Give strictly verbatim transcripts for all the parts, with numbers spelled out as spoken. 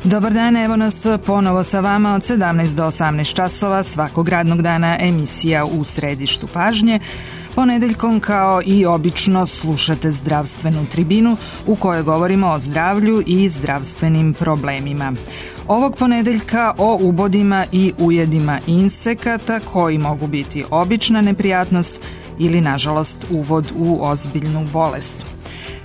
Dobar dan, evo nas ponovo sa vama od sedamnaest do osamnaest časova svakog radnog dana emisija U središtu pažnje. Ponedeljkom kao i obično slušate zdravstvenu tribinu u kojoj govorimo o zdravlju i zdravstvenim problemima. Ovog ponedeljka o ubodima i ujedima insekata koji mogu biti obična neprijatnost ili nažalost uvod u ozbiljnu bolest.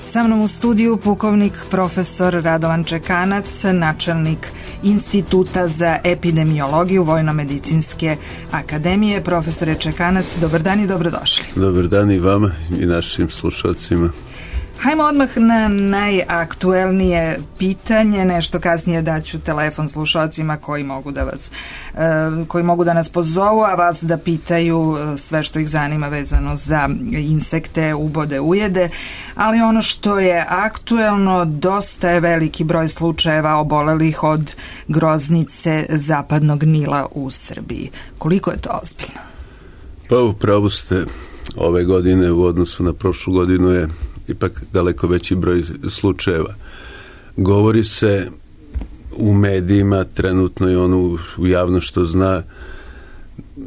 Sa mnom u studiju pukovnik profesor Radovan Čekanac, načelnik Instituta za epidemiologiju Vojno-medicinske akademije. Profesore Čekanac, dobar dan i dobrodošli. Dobar dan i vama i našim slušalcima. Hajmo odmah na najaktuelnije pitanje, nešto kasnije daću telefon slušalcima koji mogu da vas, koji mogu da nas pozovu, a vas da pitaju sve što ih zanima vezano za insekte, ubode, ujede, ali ono što je aktuelno, dosta je veliki broj slučajeva obolelih od groznice zapadnog Nila u Srbiji. Koliko je to ozbiljno? Pa upravo ste, ove godine u odnosu na prošlu godinu je ipak daleko veći broj slučajeva. Govori se u medijima, trenutno i ono u javno što zna,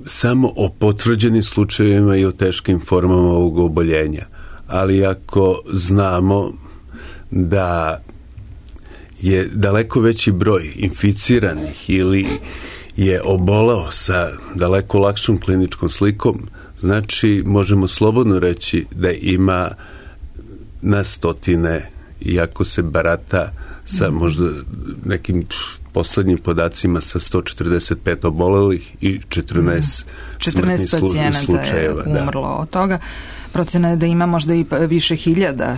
samo o potvrđenim slučajevima i o teškim formama ovog oboljenja. Ali ako znamo da je daleko veći broj inficiranih ili je obolao sa daleko lakšom kliničkom slikom, znači možemo slobodno reći da ima na stotine, iako se barata sa možda nekim poslednjim podacima sa sto četrdeset pet obolelih i četrnaest, četrnaest pacijenata slučajeva, je umrlo da. Od toga. Procena je da ima možda i više hiljada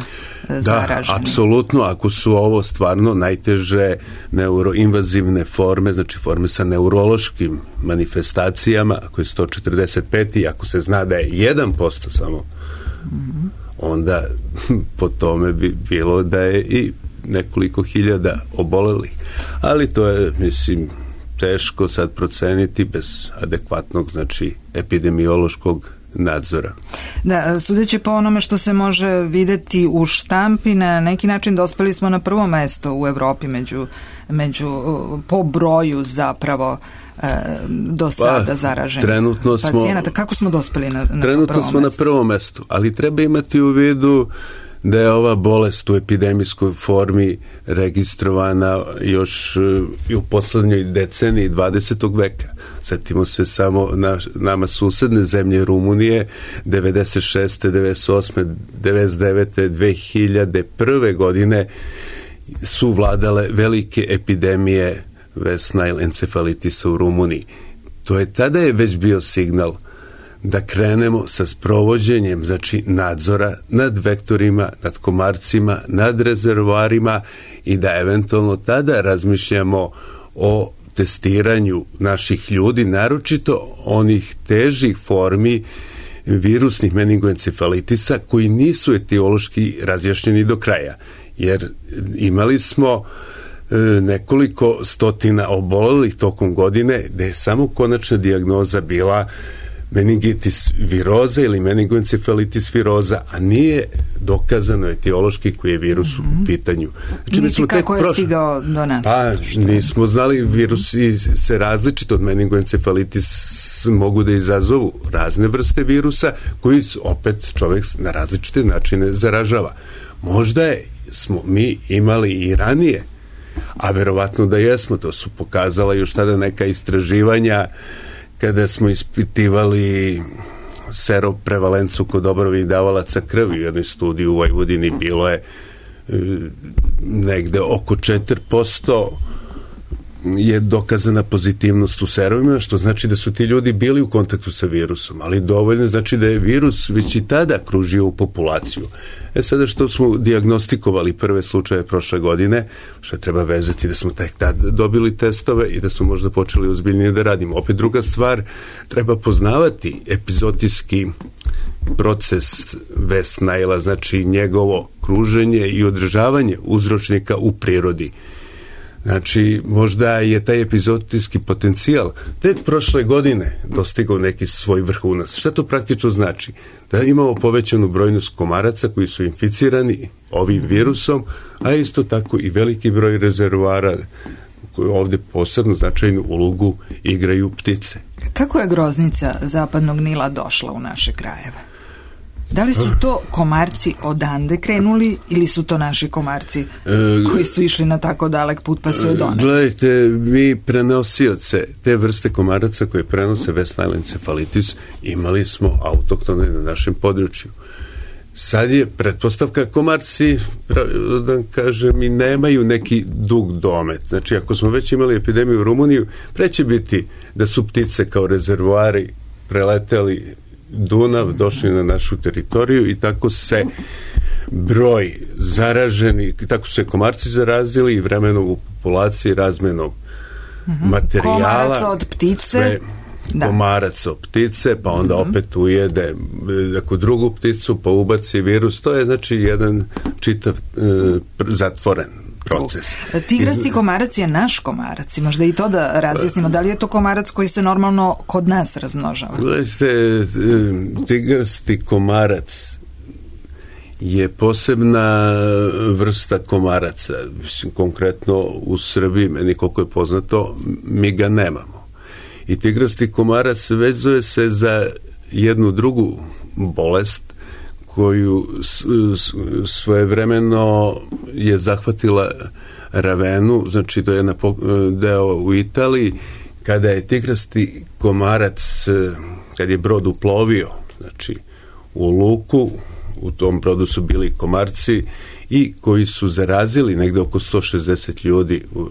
zaraženih. Da, apsolutno, ako su ovo stvarno najteže neuroinvazivne forme, znači forme sa neurološkim manifestacijama, ako je sto četrdeset pet i ako se zna da je jedan posto samo, mm-hmm. onda po tome bi bilo da je i nekoliko hiljada obolelih. Ali to je, mislim, teško sad proceniti bez adekvatnog, znači, epidemiološkog nadzora. Da, sudeći po onome što se može videti u štampi, na neki način dospeli smo na prvo mesto u Evropi među, među po broju zapravo do sada pa, zaraženih trenutno pacijenata. Smo, Kako smo dospeli na, na trenutno prvo smo mesto? Na prvom mestu, ali treba imati u vidu da je ova bolest u epidemijskoj formi registrovana još i u poslednjoj deceniji dvadesetog veka. Sjetimo se samo na nama susedne zemlje Rumunije devedeset šeste, devedeset osme, devedeset devete, dve hiljade prve godine su vladale velike epidemije West Nile encefalitisa u Rumuniji. To je tada je već bio signal da krenemo sa sprovođenjem, znači, nadzora nad vektorima, nad komarcima, nad rezervoarima i da eventualno tada razmišljamo o testiranju naših ljudi, naročito onih težih formi virusnih meningoencefalitisa koji nisu etiološki razjašnjeni do kraja. Jer imali smo nekoliko stotina obolelih tokom godine gde je samo konačna dijagnoza bila meningitis viroza ili meningoencefalitis viroza, a nije dokazano etiološki koji je virus mm-hmm. u pitanju. Znači, niti kako je prošli... stigao do nas. Pa, nismo znali, virusi se različito od meningoencefalitis mogu da izazovu razne vrste virusa koji opet čovjek na različite načine zaražava. Možda je, smo mi imali i ranije, a verovatno da jesmo, to su pokazala još tada neka istraživanja kada smo ispitivali seroprevalencu kod dobrovoljnih davalaca krvi. U jednoj studiji u Vojvodini bilo je e, negde oko četiri posto je dokazana pozitivnost u serovima, što znači da su ti ljudi bili u kontaktu sa virusom, ali dovoljno znači da je virus već i tada kružio u populaciju. E sada što smo dijagnostikovali prve slučaje prošle godine, što treba vezati da smo tek tada dobili testove i da smo možda počeli ozbiljnije da radimo. Opet druga stvar, treba poznavati epizotijski proces West Nile-a, znači njegovo kruženje i održavanje uzročnika u prirodi. Znači, možda je taj epizotijski potencijal tek prošle godine dostigao neki svoj vrhunac. Šta to praktično znači? Da imamo povećanu brojnost komaraca koji su inficirani ovim virusom, a isto tako i veliki broj rezervoara ovde posebno značajnu ulogu igraju ptice. Kako je groznica Zapadnog Nila došla u naše krajeve? Da li su to komarci odande krenuli ili su to naši komarci koji su išli na tako dalek put pa su je doneli? Gledajte, mi prenosioce te vrste komaraca koje prenose West Nile encephalitis imali smo autoktone na našem području. Sad je pretpostavka komarci, da kažem, i nemaju neki dug domet. Znači, ako smo već imali epidemiju u Rumuniju, pre će biti da su ptice kao rezervoari preleteli Dunav, došli na našu teritoriju i tako se broj zaraženi, tako su se komarci zarazili i vremenom u populaciji razmenom mm-hmm. materijala. Komarac od ptice. Sve, da. Komarac od ptice, pa onda mm-hmm. opet ujede neku drugu pticu, pa ubaci virus. To je znači jedan čitav e, zatvoren proces. Tigrasti komarac je naš komarac. Možda i to da razjasnimo. Da li je to komarac koji se normalno kod nas razmnožava? Gledajte, tigrasti komarac je posebna vrsta komaraca. Mislim, konkretno u Srbiji, meni koliko je poznato, mi ga nemamo. I tigrasti komarac vezuje se za jednu drugu bolest koju svojevremeno je zahvatila Ravenu, znači to je jedan deo u Italiji, kada je tigrasti komarac, kad je brod uplovio, znači u luku, u tom brodu su bili komarci i koji su zarazili negde oko sto šezdeset ljudi u,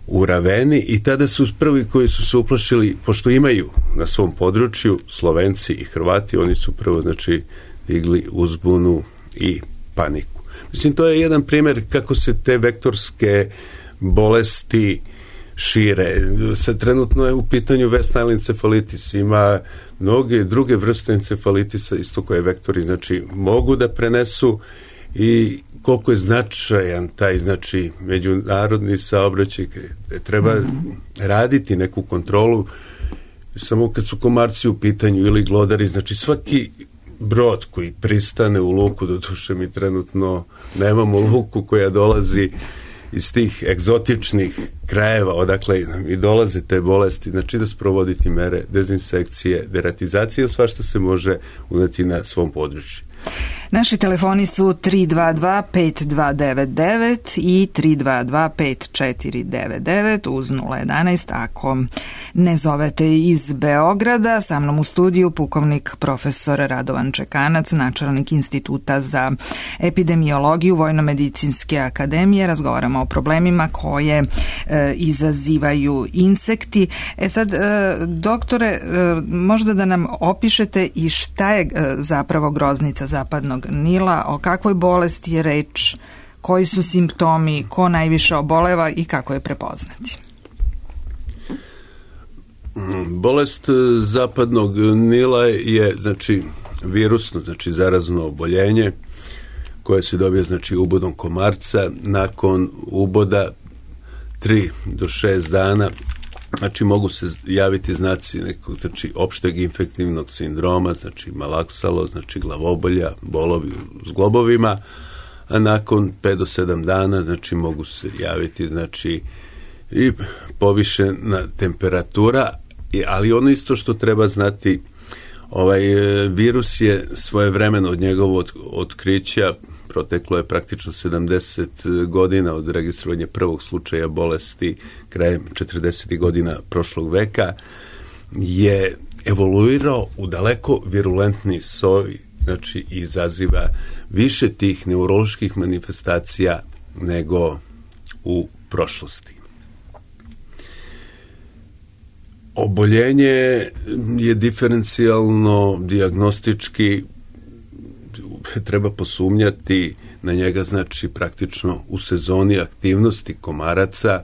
u Raveni i tada su prvi koji su se uplašili, pošto imaju na svom području Slovenci i Hrvati, oni su prvo znači digli uzbunu i paniku. Mislim, to je jedan primjer kako se te vektorske bolesti šire. Sad trenutno je u pitanju West Nile encephalitis. Ima mnoge druge vrste encefalitisa, isto koje vektori znači mogu da prenesu i koliko je značajan taj znači međunarodni saobraćaj, treba mm-hmm. raditi neku kontrolu samo kad su komarci u pitanju ili glodari, znači svaki brod koji pristane u luku, doduše mi trenutno nemamo luku koja dolazi iz tih egzotičnih krajeva odakle i dolaze te bolesti, znači da sprovoditi mere dezinsekcije, deratizacije, sva što se može uneti na svom području. Naši telefoni su tri dva dva pet dva devet devet i tri dva dva pet četiri devet devet uz nula jedanaest ako ne zovete iz Beograda. Sa mnom u studiju pukovnik profesor Radovan Čekanac, načelnik Instituta za epidemiologiju Vojno-medicinske akademije. Razgovaramo o problemima koje e, izazivaju insekti. E sad, e, doktore, e, možda da nam opišete i šta je e, zapravo groznica Zapadnog Nila, o kakvoj bolesti je reč, koji su simptomi, ko najviše oboleva i kako je prepoznati? Bolest Zapadnog Nila je znači virusno, znači zarazno oboljenje koje se dobije znači ubodom komarca. Nakon uboda tri do šest dana znači mogu se javiti znaci nekog znači opšteg infektivnog sindroma, znači malaksalo, znači glavobolja, bolovi u zglobovima, a nakon pet do sedam dana znači mogu se javiti znači i povišena temperatura, ali ono isto što treba znati, ovaj virus je svojevremeno od njegovog otkrića proteklo je praktično sedamdeset godina od registrovanja prvog slučaja bolesti krajem četrdesetih godina prošlog veka, je evoluirao u daleko virulentni soj, znači izaziva više tih neuroloških manifestacija nego u prošlosti. Oboljenje je diferencijalno, dijagnostički, treba posumnjati na njega, znači praktično u sezoni aktivnosti komaraca,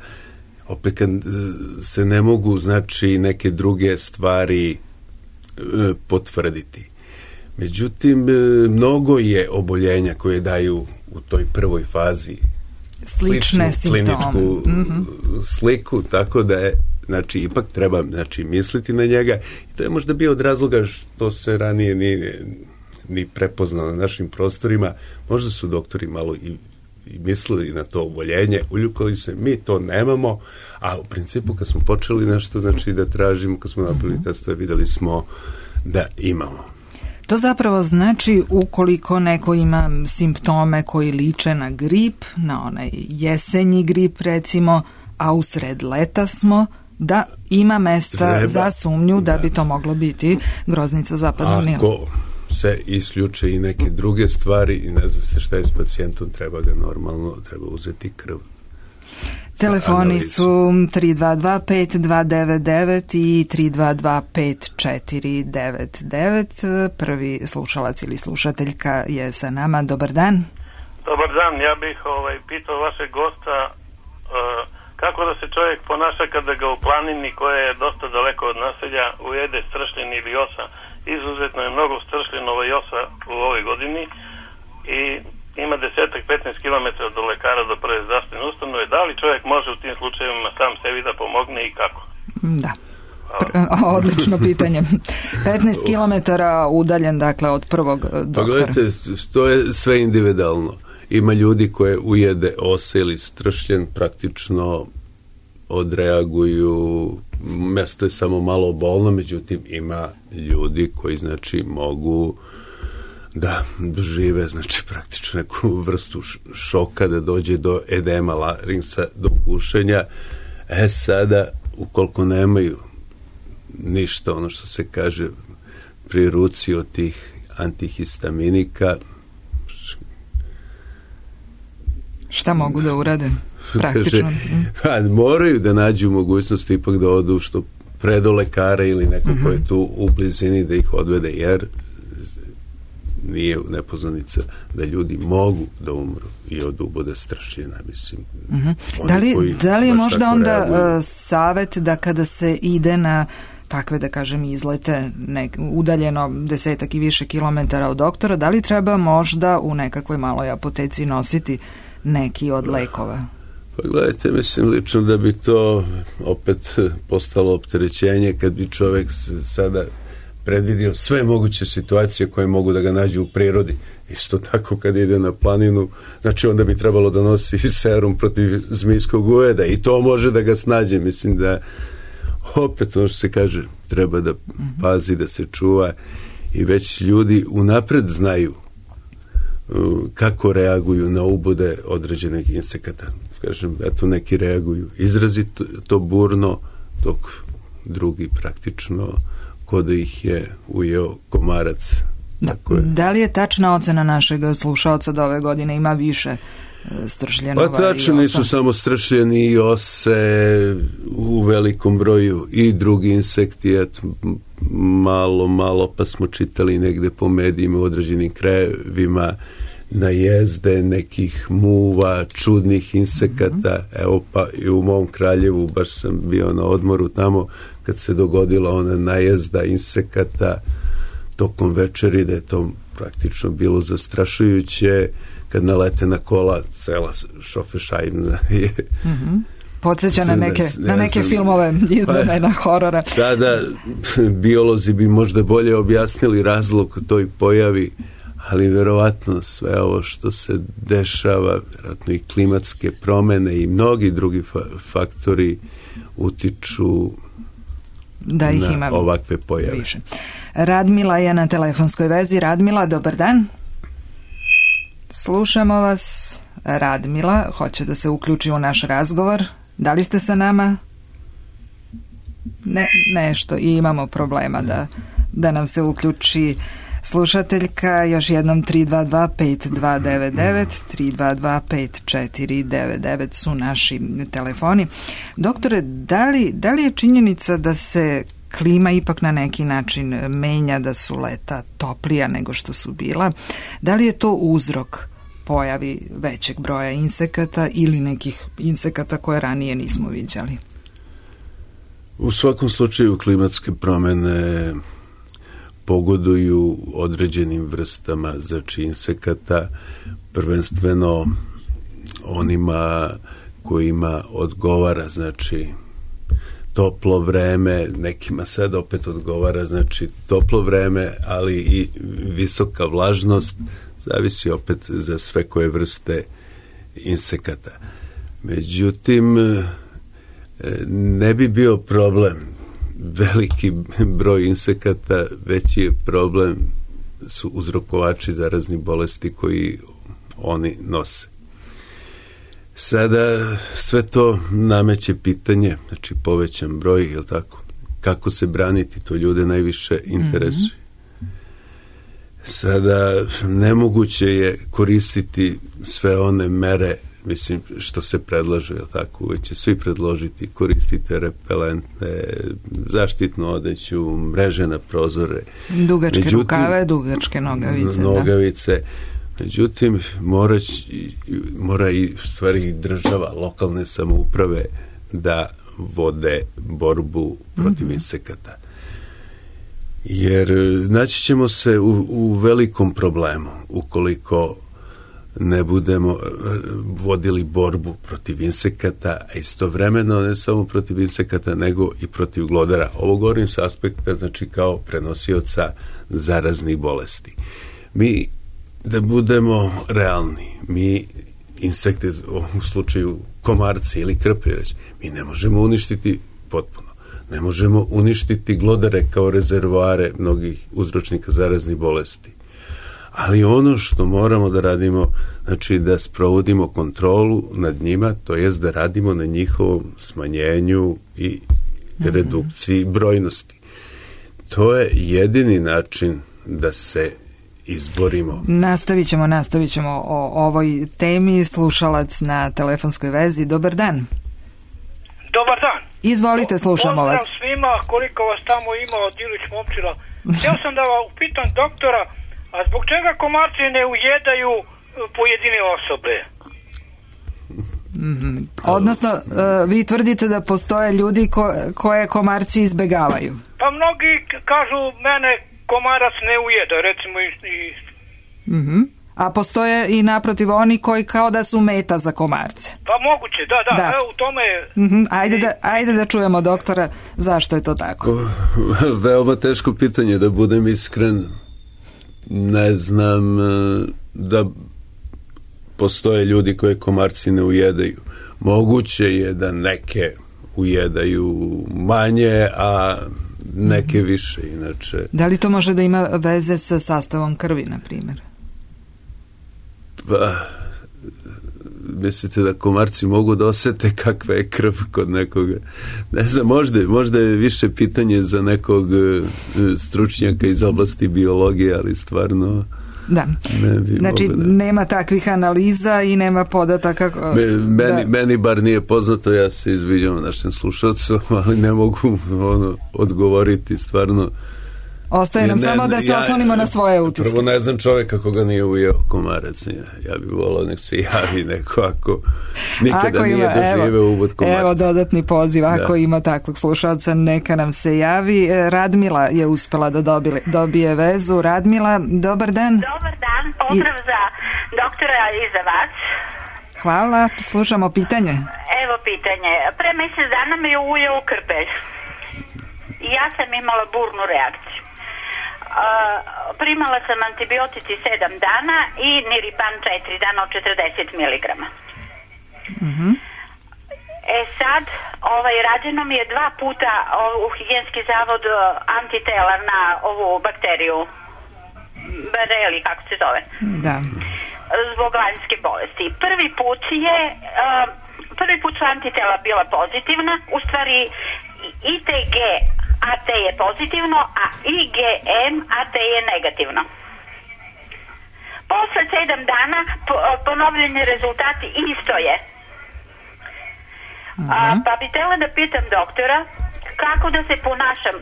opet kad se ne mogu znači neke druge stvari e, potvrditi. Međutim, e, mnogo je oboljenja koje daju u toj prvoj fazi slične kliničku mm-hmm. sliku, tako da je znači ipak treba znači misliti na njega i to je možda bio od razloga što se ranije nije ni prepoznao na našim prostorima, možda su doktori malo i i mislili na to oboljenje, uljukali se, mi to nemamo, a u principu kad smo počeli nešto znači da tražimo, kad smo napravili testove, videli smo da imamo. To zapravo znači ukoliko neko ima simptome koji liče na grip, na onaj jesenji grip recimo, a u sred leta smo, da ima mesta Treba, za sumnju da, da bi to moglo biti groznica zapadnog Nila. Ako se isključe i neke druge stvari i ne zna se šta je s pacijentom, treba ga normalno, treba uzeti krv. Telefoni su tri dva dva pet dva devet devet i tri dva dva pet četiri devet devet. Prvi slušalac ili slušateljka je sa nama. Dobar dan. Dobar dan, ja bih ovaj, pitao vašeg gosta uh, kako da se čovjek ponaša kada ga u planini koja je dosta daleko od naselja ujede stršljen ili osa. Izuzetno je mnogo stršljenova i osa u ovoj godini i ima desetak petnaest kilometara do lekara, do prve zdravstvene ustanove. Da li čovjek može u tim slučajevima sam sebi da pomogne i kako? Da. Odlično pitanje. petnaest kilometara udaljen, dakle, od prvog doktora. Pa gledajte, to je sve individualno. Ima ljudi koje ujede ose ili stršljen, praktično odreaguju, mesto je samo malo bolno, međutim ima ljudi koji znači mogu da dožive znači praktično neku vrstu šoka, da dođe do edema laringsa, do gušenja. E sada, ukoliko nemaju ništa, ono što se kaže pri ruci od tih antihistaminika, šta mogu da urade? Praktično. Kaže, moraju da nađu mogućnost ipak da odu što pre do lekara ili neko mm-hmm. ko je tu u blizini da ih odvede, jer nije nepoznanica da ljudi mogu da umru i od ubode stršljena, mislim. Mm-hmm. Da li, da li je možda onda uh, savjet da kada se ide na takve, da kažem, izlete nek, udaljeno desetak i više kilometara od doktora, da li treba možda u nekakvoj maloj apoteci nositi neki od lekova? Pa gledajte, mislim lično da bi to opet postalo opterećenje kad bi čovjek sada predvidio sve moguće situacije koje mogu da ga nađu u prirodi. Isto tako kad ide na planinu, znači onda bi trebalo da nosi serum protiv zmijskog ujeda i to može da ga snađe. Mislim da opet ono što se kaže, treba da pazi, da se čuva i već ljudi unapred znaju kako reaguju na ubude određenih insekata. Kažem, eto neki reaguju izrazito to burno, dok drugi praktično ko da ih je ujeo komarac. Da, da li je tačna ocena našeg slušalca da ove godine ima više stršljenova? Pa tačno, nisu samo stršljeni i ose u velikom broju i drugi insekti, eto, malo, malo pa smo čitali negde po medijima u određenim krajevima najezde nekih muva, čudnih insekata. Mm-hmm. Evo pa i u mom Kraljevu, baš sam bio na odmoru tamo kad se dogodila ona najezda insekata tokom večeri, da je to praktično bilo zastrašujuće, kad nalete na kola, cela šofešajna je. Mm-hmm. Podsjeća na neke, ne, ne na neke znam, filmove izdane pa, horora. Sada biolozi bi možda bolje objasnili razlog toj pojavi, ali verovatno sve ovo što se dešava, vjerojatno i klimatske promene i mnogi drugi fa- faktori utiču da ih na ima ovakve pojave. Više. Radmila je na telefonskoj vezi. Radmila, dobar dan. Slušamo vas. Radmila hoće da se uključi u naš razgovor. Da li ste sa nama? Ne, nešto. I imamo problema da, da nam se uključi slušateljka. Još jednom tri dva dva pet dva devet devet, tri dva dva pet četiri devet devet su naši telefoni. Doktore, da li, da li je činjenica da se klima ipak na neki način menja, da su leta toplija nego što su bila? Da li je to uzrok pojavi većeg broja insekata ili nekih insekata koje ranije nismo viđali? U svakom slučaju klimatske promene pogoduju određenim vrstama, znači insekata, prvenstveno onima kojima odgovara, znači toplo vreme, nekima sad opet odgovara, znači toplo vreme, ali i visoka vlažnost, zavisi opet za sve koje vrste insekata. Međutim, ne bi bio problem veliki broj insekata, veći je problem su uzrokovači zaraznih bolesti koji oni nose. Sada sve to nameće pitanje, znači povećan broj, je li tako? Kako se braniti, to ljude najviše interesuje. Mm-hmm. Sada nemoguće je koristiti sve one mere, mislim, što se predlaže, je li tako? Uvijek će svi predložiti, koristite repelentne, zaštitnu odeću, mreže na prozore. Dugačke Međutim, rukave, dugačke nogavice. Nogavice. Da. Međutim, mora, mora i stvari država, lokalne samouprave da vode borbu protiv mm-hmm. insekata. Jer naći ćemo se u, u velikom problemu ukoliko ne budemo vodili borbu protiv insekata, a istovremeno ne samo protiv insekata, nego i protiv glodara. Ovo govorim s aspekta, znači kao prenosioca zaraznih bolesti. Mi, da budemo realni, mi insekte, u ovom slučaju komarci ili krpelj, mi ne možemo uništiti potpuno. Ne možemo uništiti glodare kao rezervoare mnogih uzročnika zaraznih bolesti. Ali ono što moramo da radimo, znači da sprovodimo kontrolu nad njima, to jest da radimo na njihovom smanjenju i redukciji brojnosti. To je jedini način da se izborimo. Nastavit ćemo, nastavit ćemo o ovoj temi. Slušalac na telefonskoj vezi. Dobar dan. Dobar dan. Izvolite, slušamo vas. Pozdrav svima, koliko vas tamo ima od Ilić Momčila. Htio sam da vam upitam doktora, a zbog čega komarci ne ujedaju pojedine osobe? Mm-hmm. Odnosno, uh, vi tvrdite da postoje ljudi ko, koje komarci izbegavaju? Pa mnogi kažu mene komarac ne ujeda, recimo i... i... Mm-hmm. A postoje i naprotiv oni koji kao da su meta za komarce. Pa moguće, da, da, da. Evo, u tome je... Mm-hmm. Ajde, da, ajde da čujemo doktora zašto je to tako. O, veoma teško pitanje, da budem iskren. Ne znam da postoje ljudi koje komarci ne ujedaju. Moguće je da neke ujedaju manje, a neke više inače. Da li to može da ima veze sa sastavom krvi, na primjer? Pa, mislite da komarci mogu da osete kakva je krv kod nekoga? Ne znam, možda, možda je više pitanje za nekog stručnjaka iz oblasti biologije, ali stvarno da. Ne bi znači da... nema takvih analiza i nema podataka. Me, meni, da. meni bar nije poznato, ja se izviđam našem slušalcu, ali ne mogu ono, odgovoriti stvarno. Ostaje nam ne, samo da se ja, oslonimo na svoje utiske. Prvo ne znam čovjeka koga nije ujeo komarac. Ja, ja bih volao nek se javi neko ako nikada ako nije ima, doživeo uvod komarca. Evo dodatni poziv, ako da. Ima takvog slušalca, neka nam se javi. Radmila je uspela da dobije, dobije vezu. Radmila, dobar dan. Dobar dan, pozdrav I... za doktora i za vas. Hvala, slušamo pitanje. Evo pitanje. Pre mjesec dana me je ujeo krpelj. Ja sam imala burnu reakciju. Uh, primala sam antibiotici sedam dana i Niripan četiri dana od četrdeset miligrama. Mm-hmm. E sad, ovaj, rađeno mi je dva puta u higijenski zavod antitela na ovu bakteriju Bareli, kako se zove. Da. Zbog lanjske bolesti. Prvi put je uh, prvi put su antitela bila pozitivna, u stvari I T G A T je pozitivno, a I G M A T je negativno. Posle sedam dana ponovljeni rezultati isto je. Mm-hmm. A, pa bi htjela da pitam doktora kako da se ponašam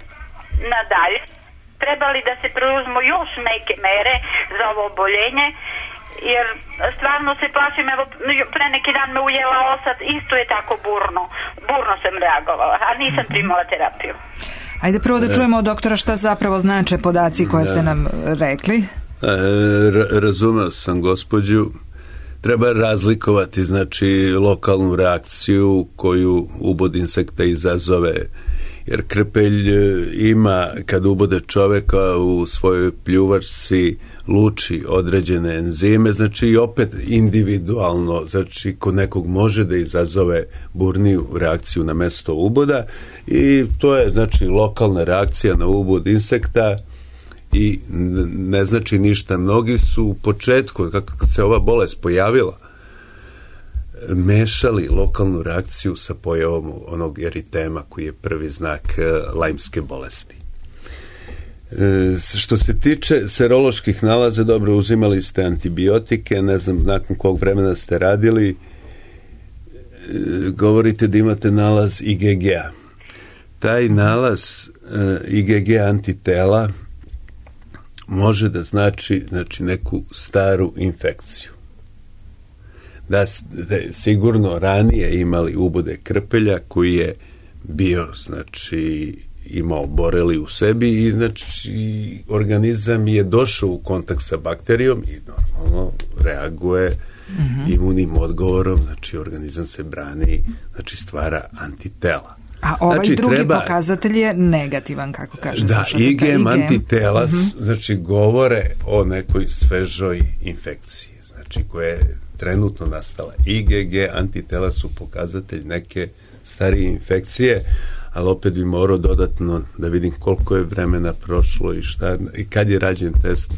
nadalje. Treba li da se preuzmu još neke mere za ovo oboljenje? Jer stvarno se plašim, evo pre neki dan me ujela osad, isto je tako burno. Burno sam reagovala, a nisam primala terapiju. Ajde prvo da čujemo od doktora šta zapravo znače podaci koje ste nam rekli. E, razumeo sam gospođu. Treba razlikovati, znači, lokalnu reakciju koju ubod insekta izazove. Jer krpelj ima, kad ubode čoveka u svojoj pljuvačci, luči određene enzime, znači i opet individualno, znači kod nekog može da izazove burniju reakciju na mesto uboda i to je znači lokalna reakcija na ubod insekta i ne znači ništa. Mnogi su u početku, kako se ova bolest pojavila, mešali lokalnu reakciju sa pojavom onog eritema koji je prvi znak lajmske bolesti. E, što se tiče seroloških nalaza, dobro, uzimali ste antibiotike, ne znam nakon kog vremena ste radili, e, govorite da imate nalaz I G G-a. Taj nalaz e, I G G antitela može da znači, znači neku staru infekciju. Da ste sigurno ranije imali ubode krpelja koji je bio, znači, imao boreli u sebi i znači organizam je došao u kontakt sa bakterijom i normalno reaguje mm-hmm. imunim odgovorom, znači organizam se brani, znači stvara antitela. A ovaj znači, drugi treba, pokazatelj je negativan, kako kaže da, slušatelj. I G M antitela mm-hmm. znači govore o nekoj svežoj infekciji, znači koja je trenutno nastala. I G G antitela su pokazatelj neke starije infekcije, ali opet bi morao dodatno da vidim koliko je vremena prošlo i šta, i kad je rađen test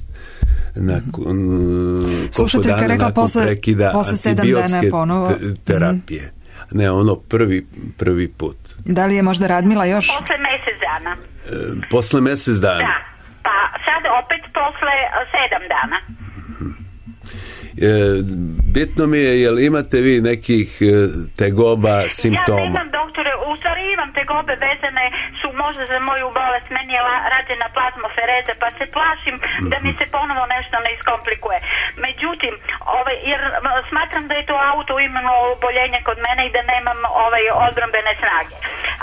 nakon, mm-hmm. koliko dana rekla, nakon posle, prekida posle antibiotske ponovo. Te, terapije. Mm-hmm. Ne, ono prvi, prvi put. Da li je možda Radmila još? Posle mjesec dana. E, posle mjesec dana? Da, pa sad opet posle sedam dana. E, bitno mi je, jel imate vi nekih e, tegoba, simptoma? Ja nemam, doktore, u stvari imam tegobe vezane su možda za moju bolest, meni je la, rađena plazmofereza, pa se plašim mm-hmm. da mi se ponovo nešto ne iskomplikuje. Međutim, ovaj, jer smatram da je to autoimuno oboljenje kod mene i da nemam ovaj, odbrambene snage.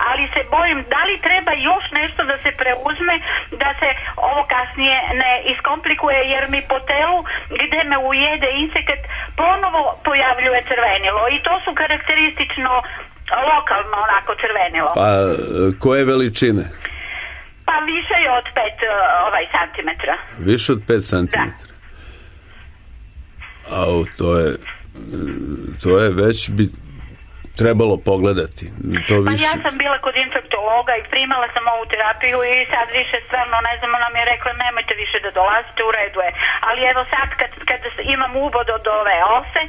Ali se bojim, da li treba još nešto da se preuzme, da se ovo kasnije ne iskomplikuje, jer mi po telu gde me ujede insekt ponovo pojavljuje crvenilo i to su karakteristično lokalno onako crvenilo. Pa koje veličine? Pa više je od pet ovaj, santimetra. Više od pet santimetra? Da. Au, to je to je već bi trebalo pogledati. To pa više... ja sam bila kod infektologa i primala sam ovu terapiju i sad više stvarno, ne znam, ona mi je rekla nemojte više da dolazite, u redu je. Ali evo sad kad, kad imam ubod od ove ose,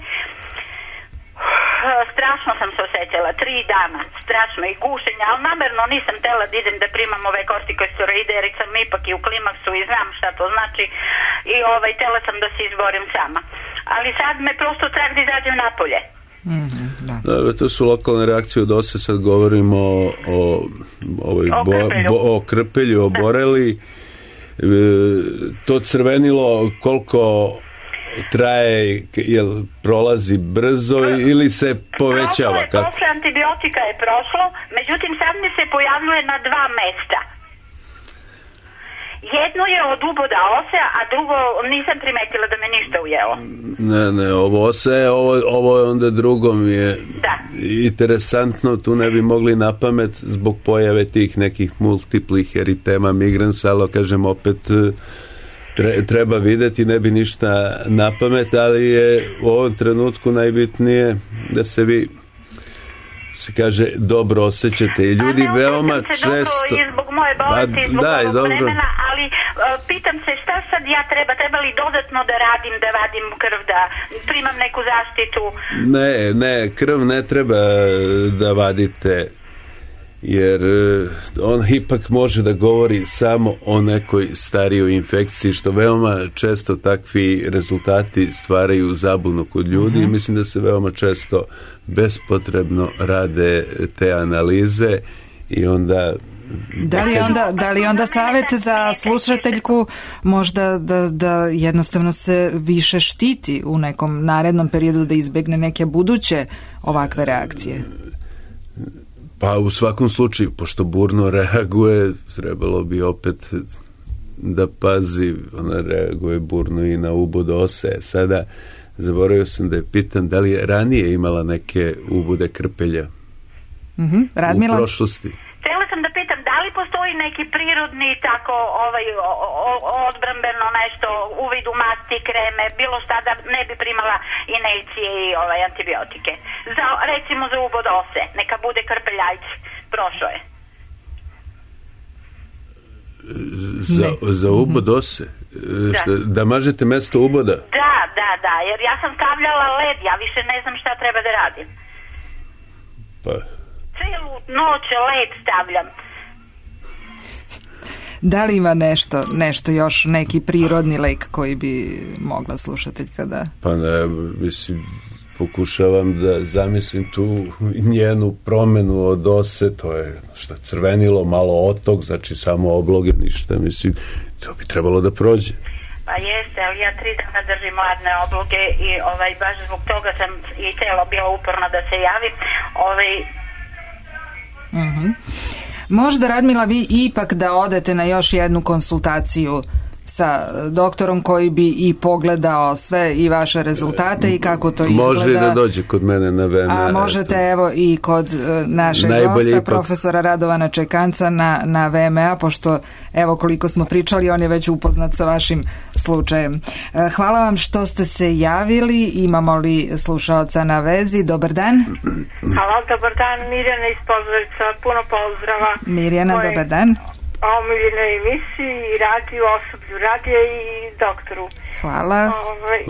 strašno sam se osjećala, tri dana, strašno i gušenja, ali namerno nisam tela da idem da primam ove kortikosteroide jer sam ipak i u klimaksu i znam šta to znači i ovaj, tela sam da se izborim sama. Ali sad me prosto strah da izađem napolje. Mm-hmm, da. Da, to su lokalne reakcije od ose, sad govorimo o, o, ovoj o bo, krpelju, bo, o, krpelju, o boreli. E, to crvenilo koliko traje, jel prolazi brzo ili se povećava? Prošlo je, posle antibiotika je prošlo, međutim sad mi se pojavljuje na dva mesta. Jedno je od uboda ose, a drugo nisam primetila da me ništa ujelo. Ne, ne, ovo ose, ovo, ovo je onda drugo mi je da. Interesantno, tu ne bi mogli na pamet zbog pojave tih nekih multiplih eritema migrans, ali kažem opet treba videti, ne bi ništa na pamet, ali je u ovom trenutku najbitnije da se vi se kaže dobro osjećate i ljudi pa veoma se često dobro i zbog moje bolesti i zbog da, ovog dobro. vremena, ali uh, pitam se šta sad ja treba, treba li dodatno da radim, da vadim krv, da primam neku zaštitu? Ne, ne, krv ne treba da vadite, jer on ipak može da govori samo o nekoj starijoj infekciji, što veoma često takvi rezultati stvaraju zabunu kod ljudi i mislim da se veoma često bespotrebno rade te analize i onda Da li onda, da li onda savjet za slušateljku možda da, da jednostavno se više štiti u nekom narednom periodu da izbegne neke buduće ovakve reakcije? Pa u svakom slučaju, pošto burno reaguje, trebalo bi opet da pazi, ona reaguje burno i na ubod ose. Sada zaboravio sam da je pitan da li je ranije imala neke ubude krpelja mm-hmm. Radmila? U prošlosti. Htjela sam da pitam da li postoji i neki prirodni tako ovaj o, o, odbrambeno nešto, uvid u masti, kreme, bilo šta da ne bi primala injekcije i ovaj antibiotike. Za, recimo za ubod ose, neka bude krpeljajci, prošao je. Za, za ubod ose? Da. Šta, da mažete mesto uboda? Da, da, da, jer ja sam stavljala led, ja više ne znam šta treba da radim. Pa... Celu noć led stavljam. Da li ima nešto, nešto još, neki prirodni lek koji bi mogla slušateljka da... Pa ne, mislim, pokušavam da zamislim tu njenu promenu od ose, to je šta, crvenilo, malo otok, znači samo obloge, ništa, mislim, to bi trebalo da prođe. Pa jeste, ali ja tri dana držim ladne obloge i ovaj, baš zbog toga sam i telo bilo uporno da se javi. Ovaj... Mm-hmm. Možda, Radmila, vi ipak da odete na još jednu konsultaciju sa doktorom koji bi i pogledao sve i vaše rezultate i kako to izgleda. Može i da dođe kod mene na V M A. A možete evo i kod našeg Najbolje gosta, ipak... profesora Radovana Čekanca na, na V M A, pošto evo koliko smo pričali, on je već upoznat sa vašim slučajem. Hvala vam što ste se javili. Imamo li slušaoca na vezi? Dobar dan. Hvala, dobar dan. Mirjana iz Požarevca. Puno pozdrava. Mirjana, Moje... dobar dan. omiljenoj emisiji, radiju, osoblju radija i doktoru. Hvala. Ovaj,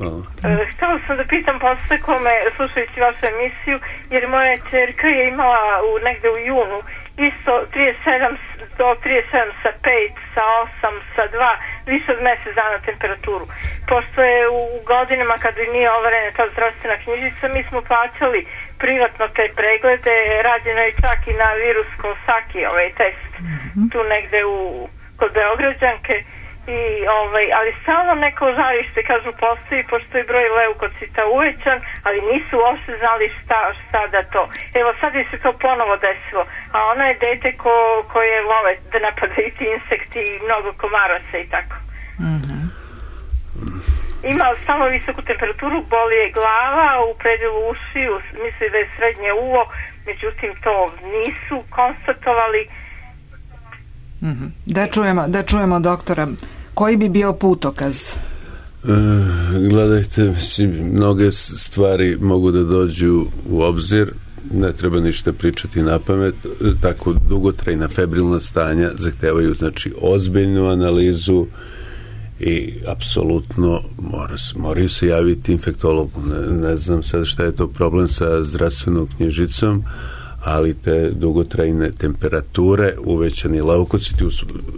e, htjela sam da pitam posle kome, slušajući vašu emisiju, jer moja čerka je imala u, negde u junu isto trideset sedam do trideset sedam sa pet, sa osam, sa dva, više od mjesec dana temperaturu. Pošto je u, u godinama kada nije overena ta zdravstvena knjižica, mi smo plaćali privatno te preglede, rađeno je čak i na virus Kosaki, ovaj test, mm-hmm. tu negde u, kod Beograđanke, i, ovaj, ali stalno neko žarište, kažu, postoji, pošto je broj leukocita uvećan, ali nisu uopšte znali šta, šta da to. Evo, sad je se to ponovo desilo, a ona je dete ko, koje vole da napadaju ti insekti i mnogo komaraca i tako. Mhm. Ima samo visoku temperaturu, boli je glava, u predelu ušiju, misli da je srednje uvo, međutim to nisu konstatovali. Mm-hmm. Da čujemo, da čujemo doktora. Koji bi bio putokaz? E, gledajte, mislim, mnoge stvari mogu da dođu u obzir, ne treba ništa pričati na pamet, tako dugotrajna febrilna stanja zahtevaju, znači, ozbiljnu analizu i apsolutno mora, moraju se javiti infektologu. Ne, ne znam sad šta je to problem sa zdravstvenom knjižicom, ali te dugotrajne temperature, uvećani leukociti,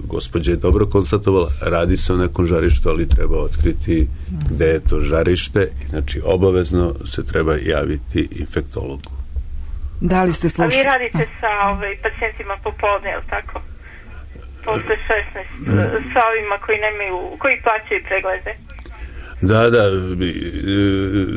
gospođa je dobro konstatovala, radi se o nekom žarištu, ali treba otkriti gde je to žarište, znači obavezno se treba javiti infektologu. Da li ste slušali? A vi radite sa ovaj, pacijentima popodne, je li tako? Posle šesnaest, sa ovima koji nemaju, koji plaćaju preglede? Da, da,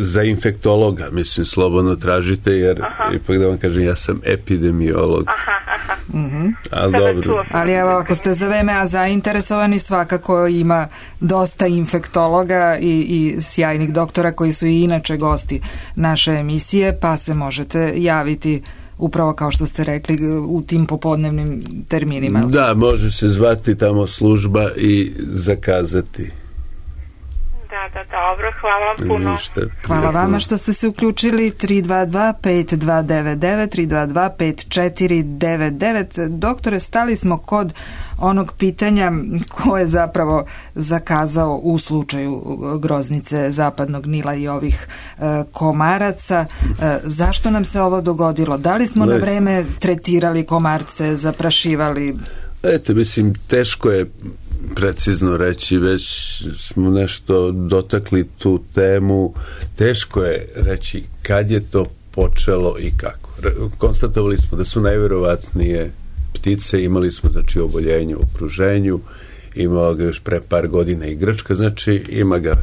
za infektologa, mislim, slobodno tražite, jer aha. ipak da vam kažem, ja sam epidemiolog. Aha, aha. Mm-hmm. Ali dobro. Ali evo, ako ste za V M A zainteresovani, svakako ima dosta infektologa i, i sjajnih doktora koji su i inače gosti naše emisije, pa se možete javiti upravo kao što ste rekli u tim popodnevnim terminima. Da, može se zvati tamo služba i zakazati. Da, da, dobro, hvala vam puno. Ništa, hvala vama što ste se uključili. Tri dva dva pet dva devet devet, tri dva dva pet četiri devet devet. Doktore, stali smo kod onog pitanja ko je zapravo zakazao u slučaju groznice zapadnog Nila i ovih e, komaraca. E, zašto nam se ovo dogodilo? Da li smo Le... na vreme tretirali komarce, zaprašivali? Eto, mislim, teško je precizno reći, već smo nešto dotakli tu temu, teško je reći kad je to počelo i kako. Konstatovali smo da su najverovatnije ptice, imali smo znači oboljenje u okruženju, imala ga još pre par godina i Grčka, znači ima ga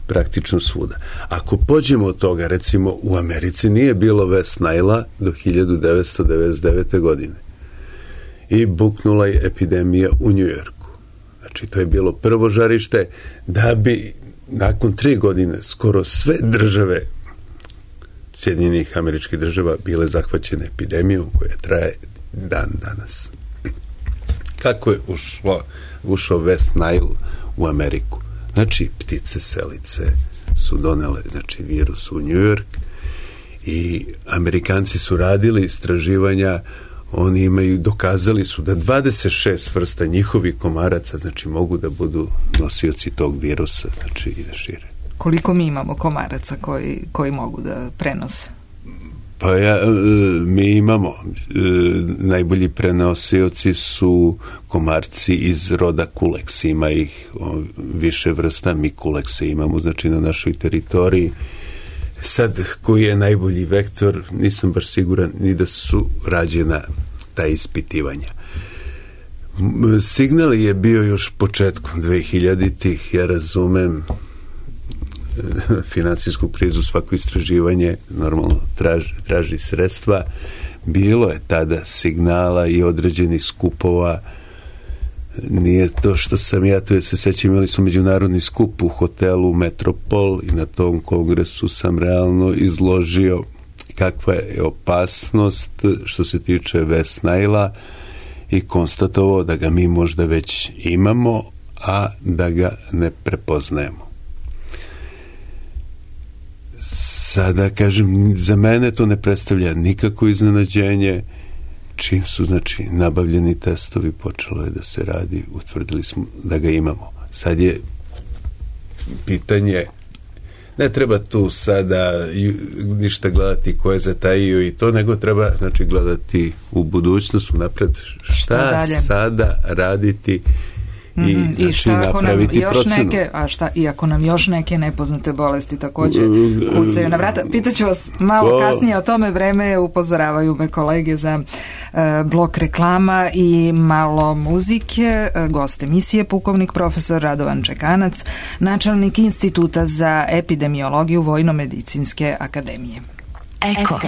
praktično svuda. Ako pođemo od toga, recimo u Americi nije bilo West Nile do hiljadu devetsto devedeset devete. godine i buknula je epidemija u Njujorku. Znači, to je bilo prvo žarište, da bi nakon tri godine skoro sve države Sjedinjenih Američkih Država bile zahvaćene epidemijom koja traje dan danas. kako je ušlo, ušao West Nile u Ameriku. Znači, ptice selice su donele, znači, virus u New York i Amerikanci su radili istraživanja, oni imaju, dokazali su da dvadeset šest vrsta njihovih komaraca, znači, mogu da budu nosioci tog virusa, znači, i da šire. Koliko mi imamo komaraca koji, koji mogu da prenose? Pa ja, mi imamo, najbolji prenosioci su komarci iz roda Culex, ima ih više vrsta, mi Culexe imamo, znači, na našoj teritoriji. Sad, koji je najbolji vektor, nisam baš siguran ni da su rađena ta ispitivanja. Signal je bio još početkom dvehiljaditih, ja razumem finansijsku krizu, svako istraživanje normalno traži, traži sredstva. Bilo je tada signala i određenih skupova. Nije to što sam ja, to je se sećam, imali su međunarodni skup u hotelu Metropol i na tom kongresu sam realno izložio kakva je opasnost što se tiče West Nile-a i konstatovao da ga mi možda već imamo, a da ga ne prepoznajemo. Sada, kažem, za mene to ne predstavlja nikako iznenađenje. Čim su, znači, nabavljeni testovi, počelo je da se radi, utvrdili smo da ga imamo. Sad je pitanje, ne treba tu sada ništa gledati ko je zatajio i to, nego treba, znači, gledati u budućnost, napred, šta, šta sada raditi i, mm, znači, i šta ako nam još procenu. Neke, a šta i ako nam još neke nepoznate bolesti također kucaju na vrata. Pitaću vas malo to... kasnije o tome, vreme, upozoravaju me kolege za uh, blok reklama i malo muzike. Uh, gost emisije pukovnik profesor Radovan Čekanac, načelnik Instituta za epidemiologiju Vojno-medicinske akademije. Eko.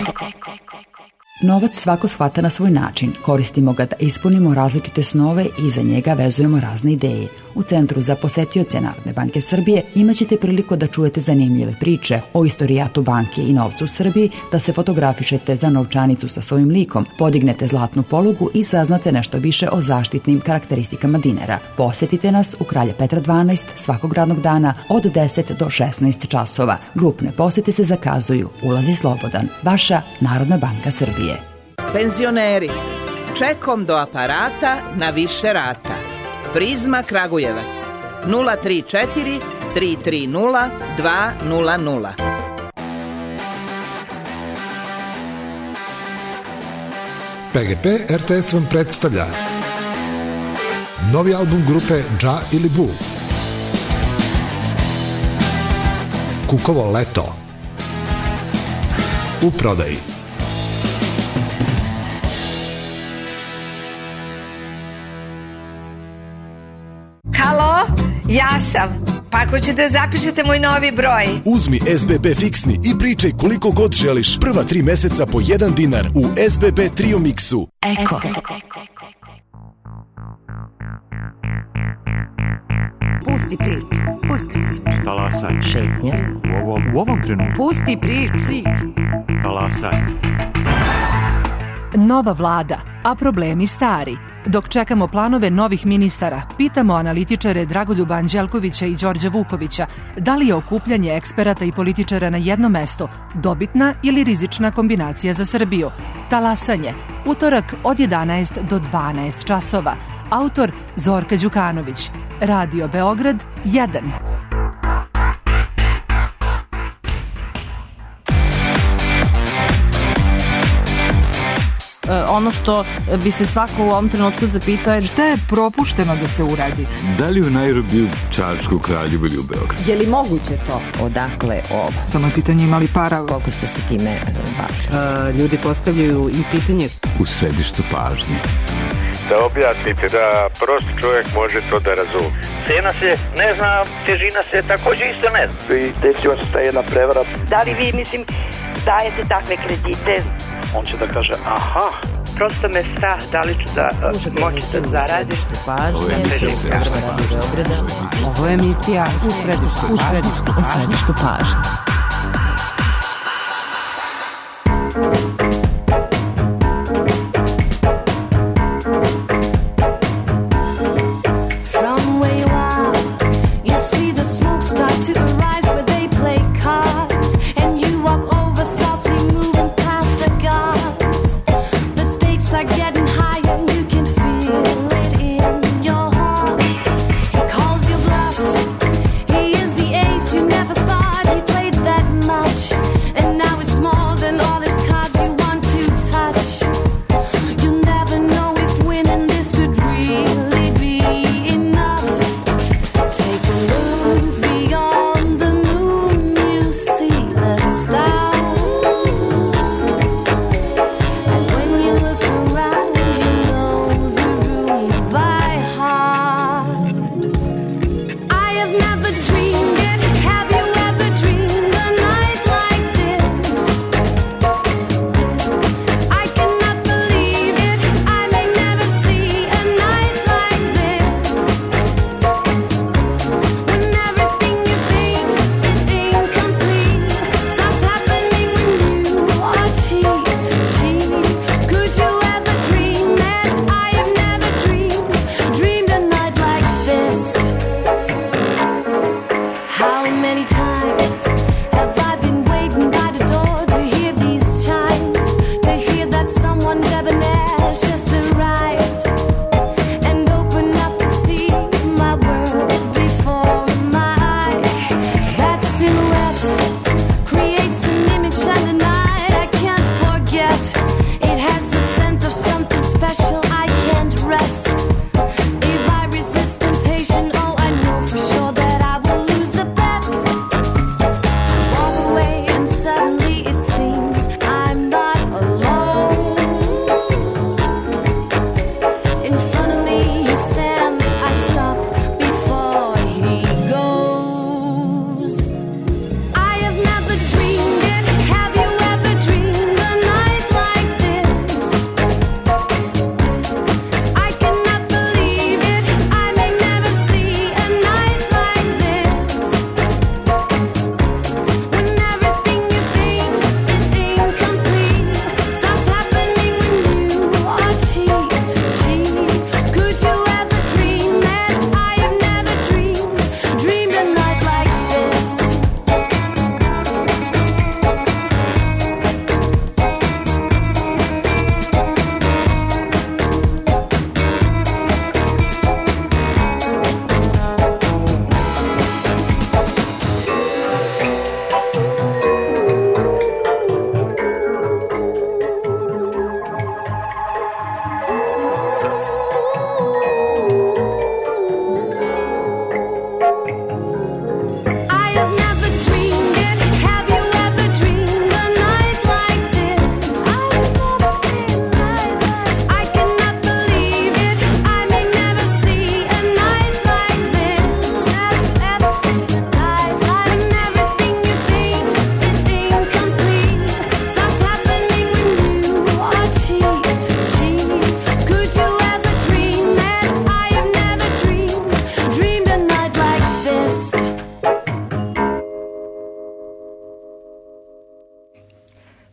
Novac svako shvata na svoj način. Koristimo ga da ispunimo različite snove i za njega vezujemo razne ideje. U Centru za posetioce Narodne banke Srbije imaćete priliku da čujete zanimljive priče o istorijatu banke i novcu u Srbiji, da se fotografišete za novčanicu sa svojim likom, podignete zlatnu polugu i saznate nešto više o zaštitnim karakteristikama dinara. Posetite nas u Kralja Petra dvanaest svakog radnog dana od deset do šesnaest časova. Grupne posete se zakazuju. Ulaz je slobodan. Vaša Narodna banka Srbije. Penzioneri, čekom do aparata na više rata. Prizma Kragujevac nula tri četiri tri tri nula dva nula nula. P G P R T S vam predstavlja novi album grupe Dža ili Bu, Kukovo leto, u prodaji. Halo, ja sam. Pa ako ćete zapišete moj novi broj. Uzmi S B B fiksni i pričaj koliko god želiš. Prva tri meseca po jedan dinar u S B B Trio Mixu. Eko. Pusti priču, pusti priču. Talasaj. Šetnje. U ovom, u ovom trenutku. Pusti priču. Talasaj. Nova vlada, a problemi stari. Dok čekamo planove novih ministara, pitamo analitičare Dragoljuba Anđelkovića i Đorđa Vukovića da li je okupljanje eksperata i političara na jedno mesto dobitna ili rizična kombinacija za Srbiju. Talasanje, utorak od jedanaest do dvanaest časova. Autor Zorka Đukanović. Radio Beograd jedan. Ono što bi se svako u ovom trenutku zapitao je šta je propušteno da se uradi. Da li u Nairobiju, Čačku, Kraljevu ili u Beogradu? Je li moguće to? Odakle ovo? Samo je pitanje imali para. Koliko ste se time bavili? Ljudi postavljaju i pitanje. U središtu pažnje. Da objasnite, da prost čovjek može to da razumije. Cena se ne zna, težina se također isto ne zna. I desila se ta jedna prevara. Da li vi, mislim, dajete takve kredite? On će da kaže, aha. Prosto me strah, da li ću da moći da zaradim. Ovo je emisija Ovo je emisija u središtu, u središtu, u središtu pažnje.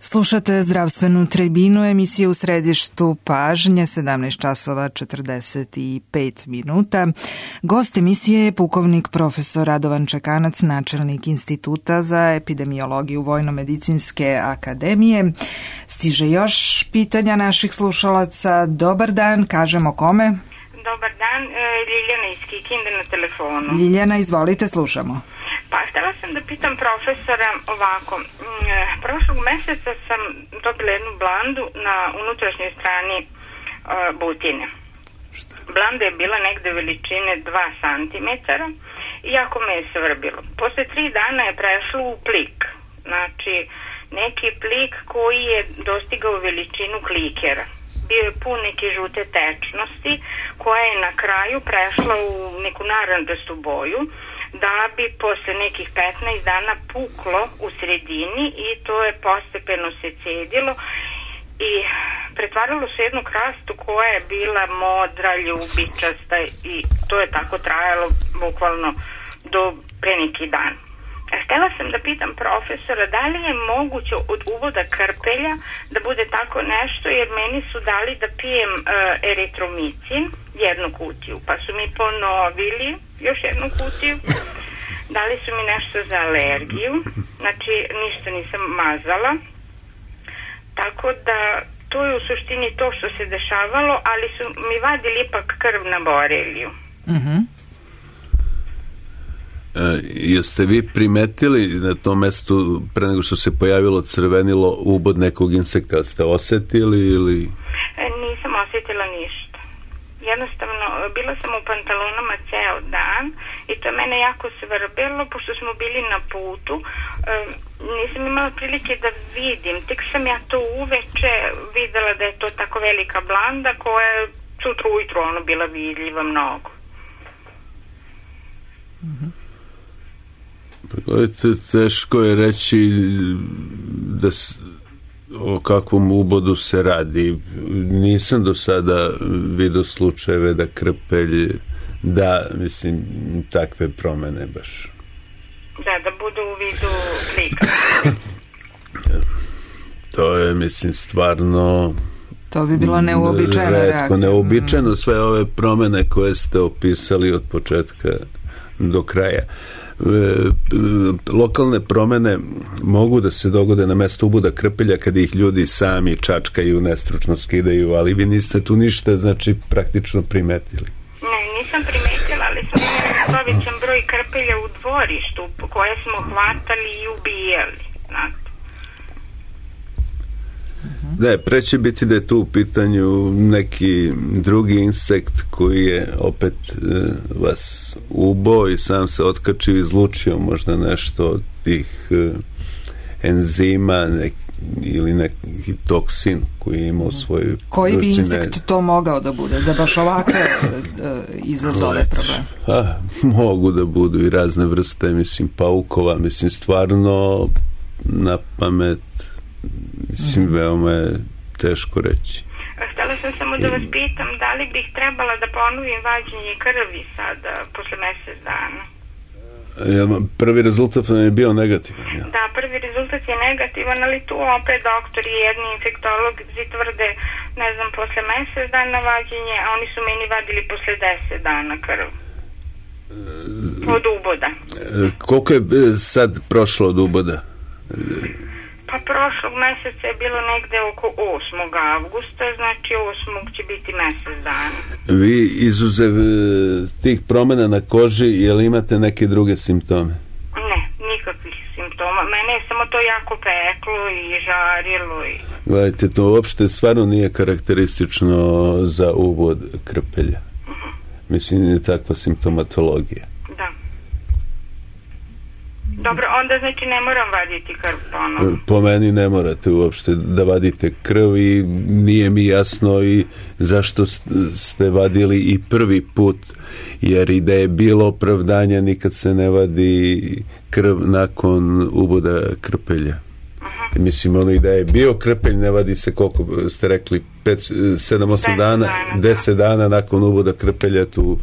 Slušate zdravstvenu tribinu, emisiju u središtu pažnje, sedamnaest časova četrdeset pet minuta. Gost emisije je pukovnik profesor Radovan Čekanac, načelnik Instituta za epidemiologiju Vojno-medicinske akademije. Stiže još pitanja naših slušalaca. Dobar dan, kažemo kome? Dobar dan, Ljiljana iz Kikinde na telefonu. Ljiljana, izvolite, slušamo. Pa htjela sam da pitam profesora ovako. Prošlog meseca sam dobila jednu blandu na unutrašnjoj strani uh, butine. Blanda je bila negde veličine dva centimetra i jako me je svrbilo. Posle tri dana je prešlo u plik. Znači, neki plik koji je dostigao veličinu klikera. Bio je pun neke žute tečnosti koja je na kraju prešla u neku naranđastu boju, da bi posle nekih petnaest dana puklo u sredini i to je postepeno se cedilo i pretvaralo se jednu krastu koja je bila modra, ljubičasta i to je tako trajalo bukvalno do pre neki dan. Htela sam da pitam profesora da li je moguće od uvoda krpelja da bude tako nešto, jer meni su dali da pijem uh, eritromicin, jednu kutiju, pa su mi ponovili još jednu kutiju, dali su mi nešto za alergiju, znači ništa nisam mazala, tako da to je u suštini to što se dešavalo, ali su mi vadili ipak krv na boreliju. Mhm. E, jeste vi primetili na tom mestu pre nego što se pojavilo crvenilo ubod nekog insekta? Ste osetili ili... E, nisam osjetila ništa. Jednostavno, bila sam u pantalonama ceo dan i to je mene jako svrbelo, pošto smo bili na putu. E, nisam imala prilike da vidim. Tek sam ja to uveče videla da je to tako velika blanda koja je sutra ujutru ono bila vidljiva mnogo. Mhm. Gledajte, teško je reći da s, o kakvom ubodu se radi. Nisam do sada vidio slučajeve da krpelj da, mislim, takve promene baš. Da, da budu u vidu klika. To je, mislim, stvarno... To bi bilo neuobičajena reakcija. Retko, neuobičajeno sve ove promene koje ste opisali od početka do kraja. Lokalne promene mogu da se dogode na mestu uboda krpelja kada ih ljudi sami čačkaju, nestručno skidaju, ali vi niste tu ništa, znači, praktično primetili. Ne, nisam primetila, ali smo imali povećan broj krpelja u dvorištu koje smo hvatali i ubijali, znate. Ne, pre će biti da je tu u pitanju neki drugi insekt koji je opet e, vas ubao i sam se otkačio i izlučio možda nešto od tih e, enzima nek, ili neki toksin koji je imao svoju... Koji bi insekt to mogao da bude? Da baš ovakve e, izazove problem? A, mogu da budu i razne vrste, mislim, paukova, mislim, stvarno na pamet mislim, veoma je teško reći. Htjela sam samo da vas pitam, da li bih trebala da ponovim vađenje krvi sada, posle mesec dana? Ja, prvi rezultat nam je bio negativan. Ja. Da, prvi rezultat je negativan, ali tu opet doktori i jedni infektolozi tvrde, ne znam, posle mesec dana vađenje, a oni su meni vadili posle deset dana krv. Od uboda. Koliko je sad prošlo od uboda? Pa prošlog meseca je bilo negde oko osmog avgusta, znači osmog će biti mesec dana. Vi izuzev tih promjena na koži, je li imate neke druge simptome? Ne, nikakvih simptoma. Mene je samo to jako peklo i žarilo. I... Gledajte, to uopšte stvarno nije karakteristično za ubod krpelja. Uh-huh. Mislim, je takva simptomatologija. Da. Dobro, onda znači ne moram vaditi krv ponovno. Po meni ne morate uopšte da vadite krv i nije mi jasno i zašto ste vadili i prvi put, jer i da je bilo opravdanja nikad se ne vadi krv nakon uboda krpelja. Uh-huh. Mislim, ono i da je bio krpelj, ne vadi se koliko ste rekli, sedam osam dana, deset dana nakon uboda krpelja, tu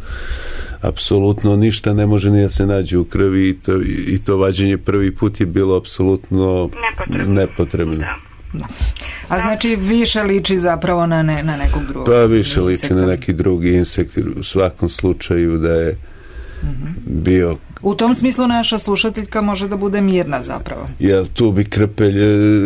apsolutno ništa ne može ni da se nađe u krvi i to, i to vađenje prvi put je bilo apsolutno nepotrebno. nepotrebno. Da. Da. A znači više liči zapravo na, ne, na nekog drugog. Pa više liči na neki drugi insekt, u svakom slučaju da je mm-hmm. bio. U tom smislu naša slušateljka može da bude mirna zapravo. Jel tu bi krpelj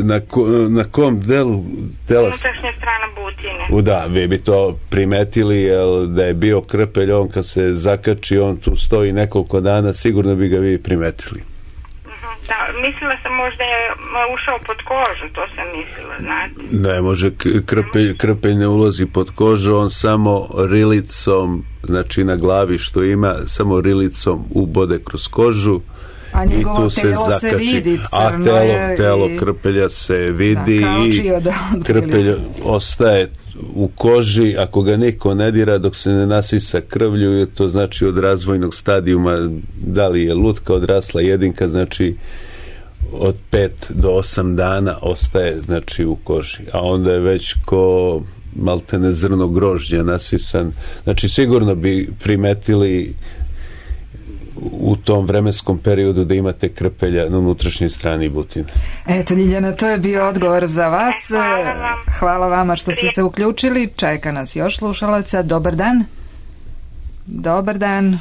na, ko, na kom delu tela? Unutrašnja strana butine. U da, vi bi to primetili, jel da je bio krpelj, on kad se zakači, on tu stoji nekoliko dana, sigurno bi ga vi primetili. Da, mislila sam možda je ušao pod kožu, to sam mislila, znate. Ne može, krpelj, krpelj ne ulazi pod kožu, on samo rilicom, znači na glavi što ima, samo rilicom ubode kroz kožu. A i tu se zakači. Se vidi, a telo, telo i... krpelja se vidi da, i od, od krpelj ostaje u koži, ako ga niko ne dira dok se ne nasisa krvlju, to znači od razvojnog stadijuma, da li je lutka odrasla jedinka, znači od pet do osam dana ostaje znači u koži, a onda je već ko maltene zrno grožđa nasisan, znači sigurno bi primetili u tom vremenskom periodu da imate krpelja na unutrašnjoj strani butine. Eto, Ljiljana, to je bio odgovor za vas. Hvala, vam. Hvala vama što ste se uključili. Čeka nas još slušalaca. Dobar dan. Dobar dan.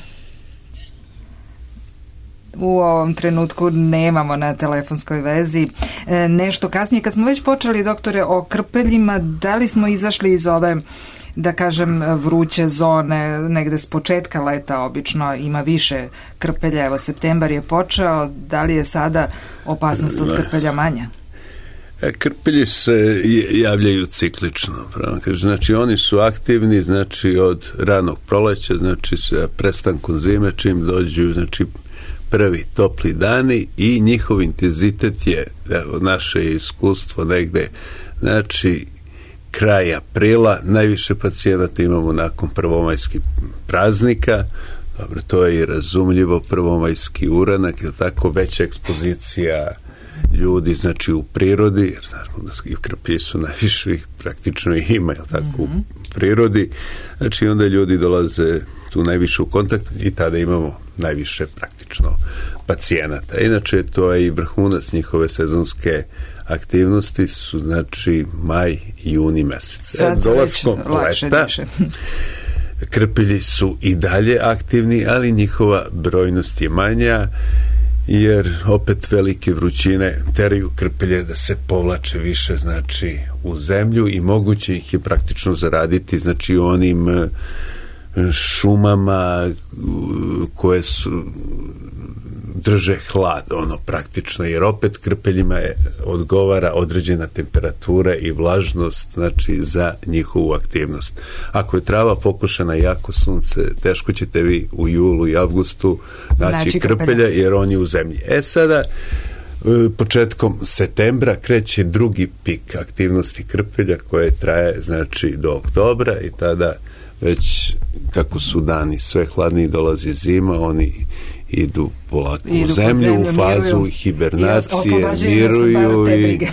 U ovom trenutku nemamo na telefonskoj vezi. E, nešto kasnije, kad smo već počeli, doktore, o krpeljima, da li smo izašli iz ove, da kažem, vruće zone, negde s početka leta obično ima više krpelja, evo septembar je počeo, da li je sada opasnost od krpelja manja? Krpelji se javljaju ciklično, znači oni su aktivni, znači od ranog proleća, znači sa prestankom zime, čim dođu, znači prvi topli dani i njihov intenzitet je, evo, naše iskustvo negde, znači kraj aprila, najviše pacijenata imamo nakon prvomajskih praznika, dobro, to je i razumljivo, prvomajski uranak, je tako, veća ekspozicija ljudi, znači u prirodi, jer znamo da i krpelji su najviše, praktično ih ima, je tako, mm-hmm. u prirodi, znači onda ljudi dolaze tu najviše u kontakt i tada imamo najviše praktično pacijenata. Inače, to je i vrhunac njihove sezonske aktivnosti su, znači, maj i juni mesec. Sad se već lakše diše. Krpelji su i dalje aktivni, ali njihova brojnost je manja, jer opet velike vrućine teraju krpelje da se povlače više, znači, u zemlju i moguće ih je praktično zaraditi, znači, onim šumama koje su drže hlad, ono, praktično, jer opet krpeljima je odgovara određena temperatura i vlažnost, znači, za njihovu aktivnost. Ako je trava pokušana jako sunce, teško ćete vi u julu i avgustu naći znači, krpelja, jer on je u zemlji. E sada, početkom septembra kreće drugi pik aktivnosti krpelja koje traje, znači, do oktobra i tada već kako su dani sve hladniji, dolazi zima, oni idu polako idu u zemlju, zemlju, u fazu miruju. Hibernacije, miruju i...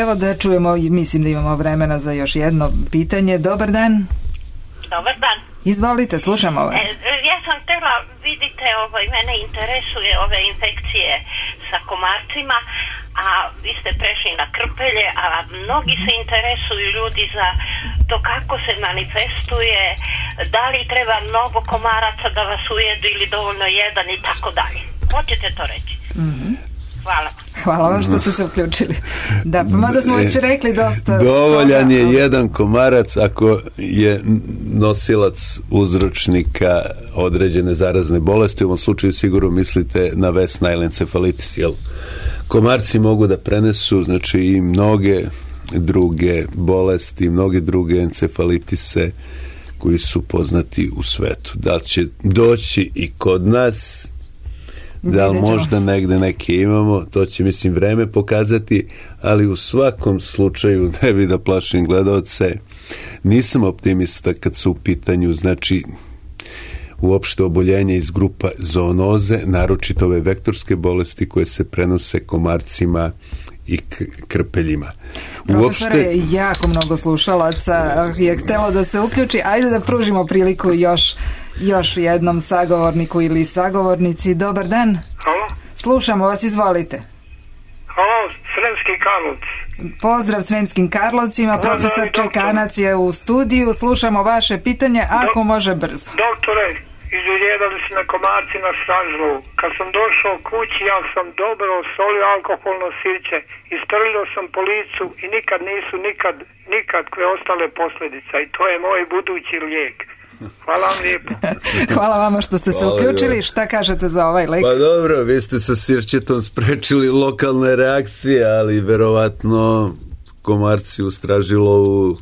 Evo da čujemo, mislim da imamo vremena za još jedno pitanje. Dobar dan. Dobar dan. Izvolite, slušamo vas. E, ja sam htjela, vidite, ovaj, mene interesuje ove infekcije sa komarcima, a vi ste prešli na krpelje, a mnogi se interesuju ljudi za to kako se manifestuje, da li treba mnogo komaraca da vas ujedu ili dovoljno jedan i tako dalje. Hoćete to reći? Mhm. Hvala. Hvala vam što ste se uključili. Da, pa mada smo već rekli dosta... Dovoljan je jedan komarac ako je nosilac uzročnika određene zarazne bolesti. U ovom slučaju sigurno mislite na West Nile encefalitis, jel? Komarci mogu da prenesu, znači, i mnoge druge bolesti, mnoge druge encefalitise koji su poznati u svetu. Da li će doći i kod nas, da li možda negde neke imamo, to će, mislim, vreme pokazati, ali u svakom slučaju, ne bi da plašim gledalce, nisam optimista kad su u pitanju, znači, uopšte oboljenje iz grupa zoonoze, naročito ove vektorske bolesti koje se prenose komarcima i krpeljima. Profesore, uopšte... jako mnogo slušalaca je htelo da se uključi. Ajde da pružimo priliku još, još jednom sagovorniku ili sagovornici. Dobar dan. Halo. Slušamo vas, izvolite. Halo, Sremski Karlovci. Pozdrav Sremskim Karlovcima, profesor Čekanac je u studiju, slušamo vaše pitanje, ako Do, može brzo. Doktore, izuljedali su me komarci na stražlovu. Kad sam došao kući, ja sam dobro solio alkoholno sirće, istrlio sam po licu i nikad nisu nikad, nikakve ostale posljedice. I to je moj budući lijek. Hvala vam lijepo. Hvala vama što ste se uključili. Šta kažete za ovaj lek? Pa dobro, vi ste sa sirćetom sprečili lokalne reakcije, ali verovatno komarci u stražilovu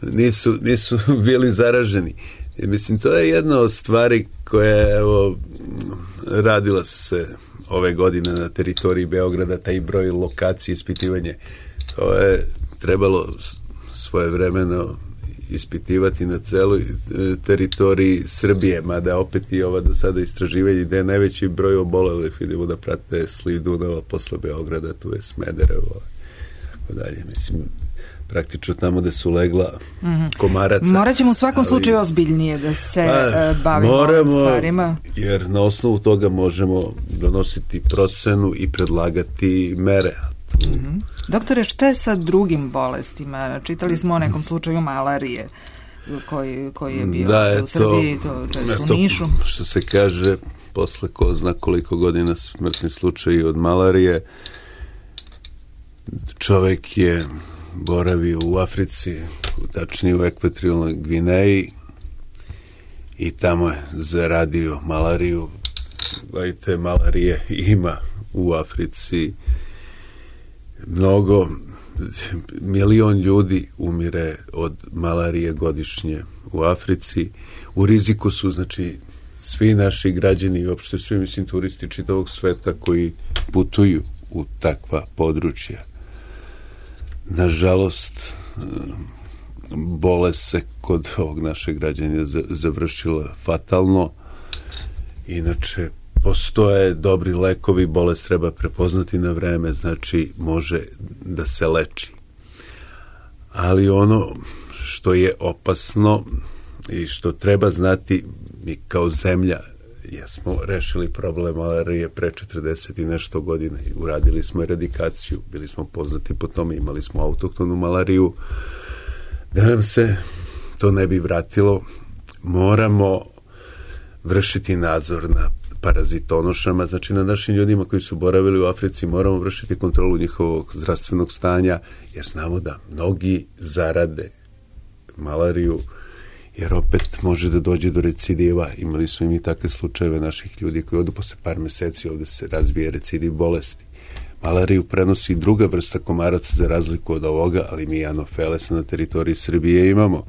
nisu, nisu bili zaraženi. I mislim, to je jedna od stvari koja, evo, radila se ove godine na teritoriji Beograda, taj broj lokacije, ispitivanje. To je trebalo svojevremeno ispitivati na celoj teritoriji Srbije, mada opet i ova do sada istraživanje gde je najveći broj obolelih, vidimo da prate sliv Dunava posle Beograda, tu je Smederevo, tako dalje. Mislim, praktično tamo gde su legla mm-hmm. komaraca. Morat ćemo u svakom ali, slučaju ozbiljnije da se pa, bavimo moramo, ovim stvarima. Jer na osnovu toga možemo donositi procenu i predlagati mere. Mm-hmm. Doktore, šta je sa drugim bolestima? Čitali smo o nekom slučaju malarije koji, koji je bio da, u Srbiji, to, to, to je u Nišu. Što se kaže, posle ko zna koliko godina smrtni slučaj od malarije, čovek je boravio u Africi, tačnije u Ekvatorijalnoj Gvineji, i tamo je zaradio malariju. Gledajte, malarije ima u Africi mnogo, milion ljudi umire od malarije godišnje u Africi. U riziku su, znači, svi naši građani i uopšte svi, mislim, turisti čitavog sveta koji putuju u takva područja. Nažalost, bolest se kod ovog našeg građana završila fatalno. Inače, postoje dobri lekovi, bolest treba prepoznati na vreme, znači može da se leči. Ali ono što je opasno i što treba znati, mi kao zemlja jesmo rešili problem malarije pre četrdeset i nešto godina i uradili smo eradikaciju, bili smo poznati po tome, imali smo autohtonu malariju. Da nam se to ne bi vratilo, moramo vršiti nadzor na parazitonošama, znači na našim ljudima koji su boravili u Africi, moramo vršiti kontrolu njihovog zdravstvenog stanja, jer znamo da mnogi zarade malariju, jer opet može da dođe do recidiva. Imali smo i mi takve slučajeve naših ljudi koji odu posle par meseci, ovde se razvije recidiv bolesti. Malariju prenosi druga vrsta komaraca za razliku od ovoga, ali mi anofilesa na teritoriji Srbije imamo.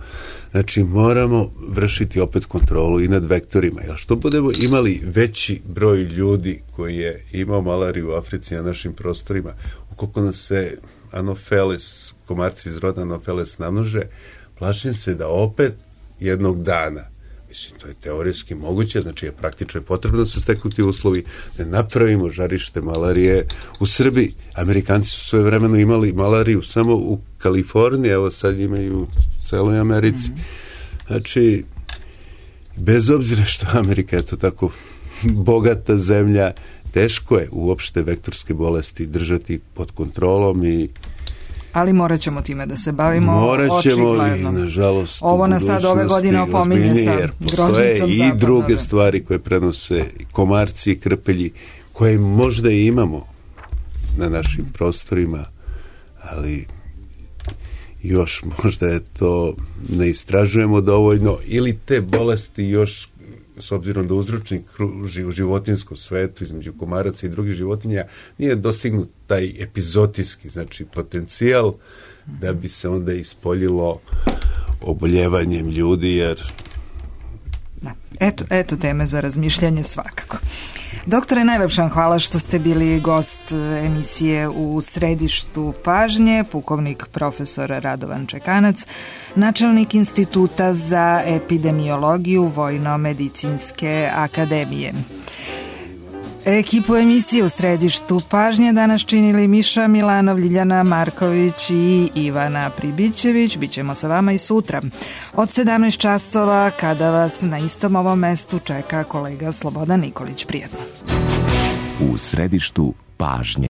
Znači, moramo vršiti opet kontrolu i nad vektorima. Jer što budemo imali veći broj ljudi koji je imao malariju u Africi na našim prostorima, ukoliko nas se anofeles, komarci iz roda anofeles namnože, plašim se da opet jednog dana, mislim, to je teorijski moguće, znači je praktično je potrebno da se steknu ti uslovi, da napravimo žarište malarije u Srbiji. Amerikanci su sve vremeno imali malariju samo u Kaliforniji, evo sad imaju u celoj Americi. Znači, bez obzira što Amerika je to tako bogata zemlja, teško je uopšte vektorske bolesti držati pod kontrolom i ali morat ćemo time da se bavimo morat ćemo očigledno. I nažalost ovo nas sad ove godine opominje sa groznicom i zapadno, druge da. stvari koje prenose komarci i krpelji, koje možda i imamo na našim prostorima, ali još možda je to ne istražujemo dovoljno, ili te bolesti još, s obzirom da uzročnik kruži u životinskom svetu između komaraca i drugih životinja, nije dostignut taj epizotijski, znači potencijal da bi se onda ispoljilo oboljevanjem ljudi, jer da. Eto, eto teme za razmišljanje svakako. Doktore, najlepša vam hvala što ste bili gost emisije U središtu pažnje, pukovnik profesor Radovan Čekanac, načelnik Instituta za epidemiologiju Vojno-medicinske akademije. Ekipu emisije U središtu pažnje danas činili Miša Milanov, Ljiljana Marković i Ivana Pribićević. Bićemo sa vama i sutra od sedamnaest časova, kada vas na istom ovom mestu čeka kolega Slobodan Nikolić. Prijetno. U središtu pažnje.